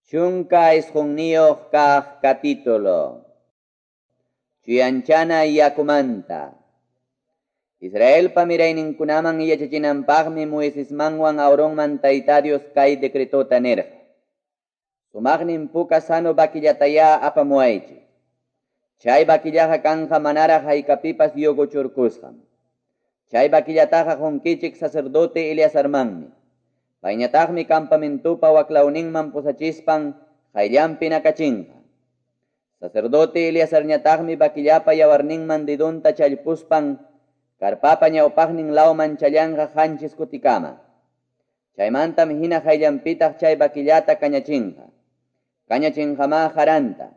19 kaq capítulo. Chuyanchana yakumanta. Israelpa mirayninkunaman yachachinanpaqmi Moisesmanwan Aaronman Tayta Dios kay decretota nirqa. Sumaqnin puka sano vakillatayá apamuwaychik. Chay vaquillaqa kanja manaraq haykapipas yuguchurkusqam. Chay vaquillataqa qunkichik sacerdote Eleazarmanmi. Payñataqmi campamentupa waklawninman pusachispan qayllanpi nakachinqa. Sacerdote Eleazarñataqmi vaquillapa yawarninman dedonta challpuspan karpapa ñawpaqnin lawman challanqa qanchis kutikama. Chaymantam hina qayllanpitaq chay vaquillata kañachinqa. Kañachinqamá jaranta,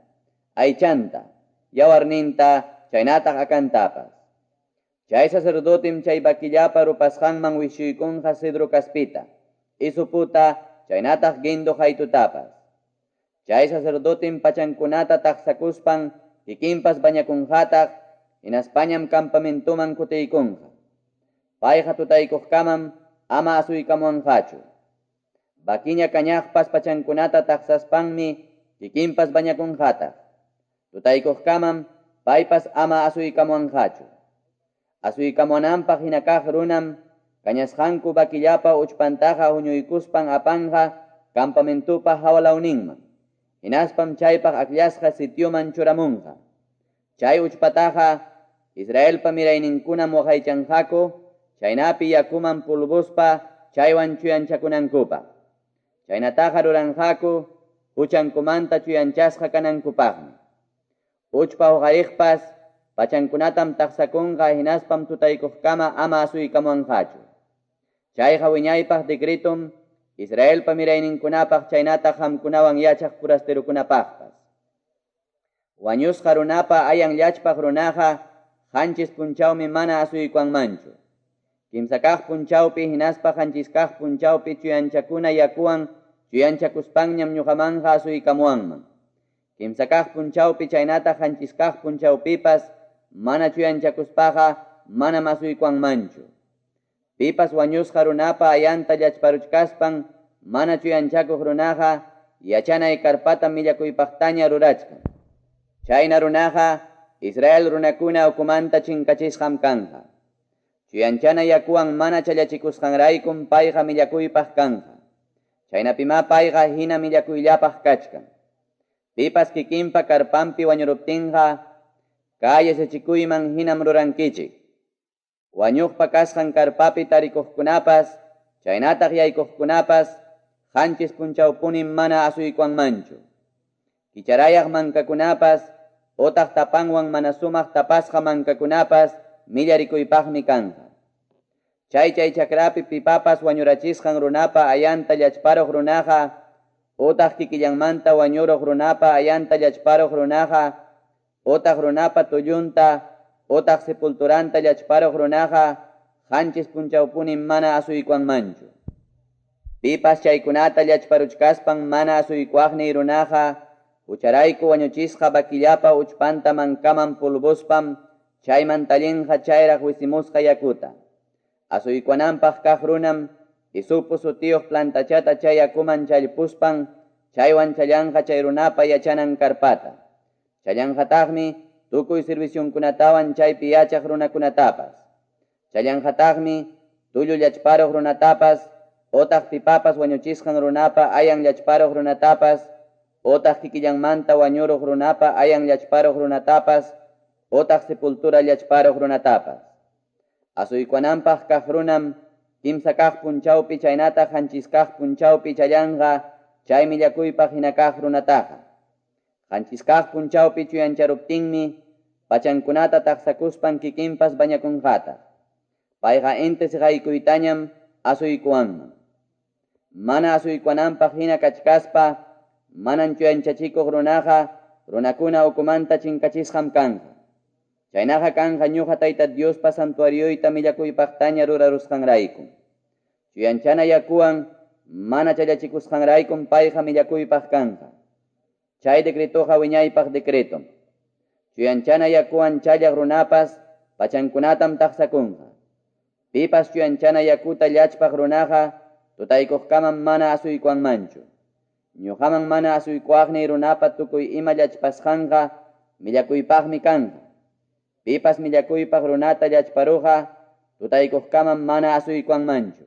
aychanta, yawarninta, chaynataq akantapas. Chay sacerdotem chay vaquillapa rupasqanman wishuykunqa cedro kaspita, isuputa, chaynataq guindo haytutapas. Chay sacerdotem pachankunata taqsakuspan kikinpas bañakunqataq, hinaspañam campamentuman kutiykunqa. Payqa tutaykuqkamam ama asuykamuwanqachu. Vaquiña kañaqpas pachankunata taqsaspanmi kikinpas bañakunqataq. Tutaykuqkamam paypas ama asuykamuwanqachu. Asuykamuwananpaq hina kaq runam kañasqanku vaquillapa uchpantaqa huñuykuspan apanqa campamentupa hawalawninman. Hinaspam chaypaq akllasqa sitioman churamunqa. Chay uchpataqa Israelpa mirayninkunam waqaychanqaku, chaynapi yakuman pulvuspa chaywan chuyanchakunankupaq. Chaynataqa ruranqaku huchankumanta chuyanchasqa kanankupaqmi. Uchpa huqariqpas pachankunatam taqsakunqa hinaspam tutaykuqkama ama asuykamuwanqachu. Chayqa wiñaypaq decretum Israelpa mirayninkunapaq chaynataq qamkunawan yachaq furasterukunapaqpas. Wañusqa runapa ayan llachpaq runaqa qanchis punchawmi mana asuykuwanmanchu. Kimsa kaq punchawpi hinaspa qanchis kaq punchawpi chuyanchakuna yakuwan chuyanchakuspanñam ñuqamanqa asuykamuwanman. Kimsa kaq punchawpi chaynataq qanchis kaq punchawpipas mana chuyanchakuspaqa manam asuykuwanmanchu. Pipas wañusqa runapa ayanta llachparuchkaspan mana chuyanchakuq runaqa yachanay karpata millakuypaqtaña rurachkan. Chayna runaqa Israel runakuna ukumanta chinkachisqam kanja. Chuyanchana yakuwan mana challachikusqanraykum payqa millakuypaq kanja. Chaynapimá payqa hina millakuyllapaq kachkan. Pipas kikinpa karpanpi wañuruptinqa kay yachachikuyman hinam rurankichik. Wañuqpa kasqan karpapi tarikuqkunapas, chaynataq yaykuqkunapas, qanchis punchawpunim mana asuykuwanmanchu. Kicharayaq mankakunapas, otaq tapanwan mana sumaq tapasqa mankakunapas, millarikuypaqmi kanja. Chay chay chakrapi pipapas wañurachisqan runapa ayanta llachparuq runaqa, otaq kikillanmanta wañuruq runapa ayanta llachparuq runaqa, otaq runapa tullunta, otaq sepulturanta llachparuq runaqa, qanchis punchawpunim mana asuykuwanmanchu. Pipas chaykunata llachparuchkaspan mana asuykuwaqniy runaqa, hucharayku wañuchisqa vaquillapa uchpanta mankaman pulvuspam, chayman tallinqa chayraq wisimusqa yakuta. Asuykuwananpaq kaq runam, isupu sutiyuq plantachata chay yakuman challpuspan, chaywan challanqa chay runapa yachanan karpata. Challanqataqmi tukuy servicionkunatawan chaypi yachaq runakunatapas. Challanqataqmi tullu llachparuq runatapas, otaq pipapas wañuchisqan runapa ayan llachparuq runatapas, otaq kikillanmanta wañuruq runapa ayan llachparuq runatapas, otaq sepultura llachparuq runatapas. Asuykuwananpaq kaq runam kimsa kaq punchawpi chaynataq qanchis kaq punchawpi challanqa chay millakuypaq hina kaq runataqa. Qanchis kaq punchawpi chuyancharuptinmi pachankunata taqsakuspan kikinpas bañakunqataq. Payqa inti siqaykuytañam asuykuwanman. Mana asuykuwananpaq hina kachkaspa manan chuyanchachikuq runaqa runakuna ukumanta chinkachisqam kanja. Chaynaqa kanja ñuqa Tayta Diospa santuarioyta millakuypaqtaña rurarusqanraykum. Chuyanchana yakuwan mana challachikusqanraykum payqa millakuypaq kanja. Chay decretoqa wiñaypaq decretom. Chuyanchana yakuwan challaq runapas pachankunatam taqsakunqa. Pipas chuyanchana yakuta llachpaq runaqa tutaykuqkamam mana asuykuwanmanchu. Ñuqaman mana asuykuwaqniy runapa tukuy ima llachpasqanqa millakuypaqmi kanqa. Pipas millakuypaq runata llachparuqqa tutaykuqkamam mana asuykuwanmanchu.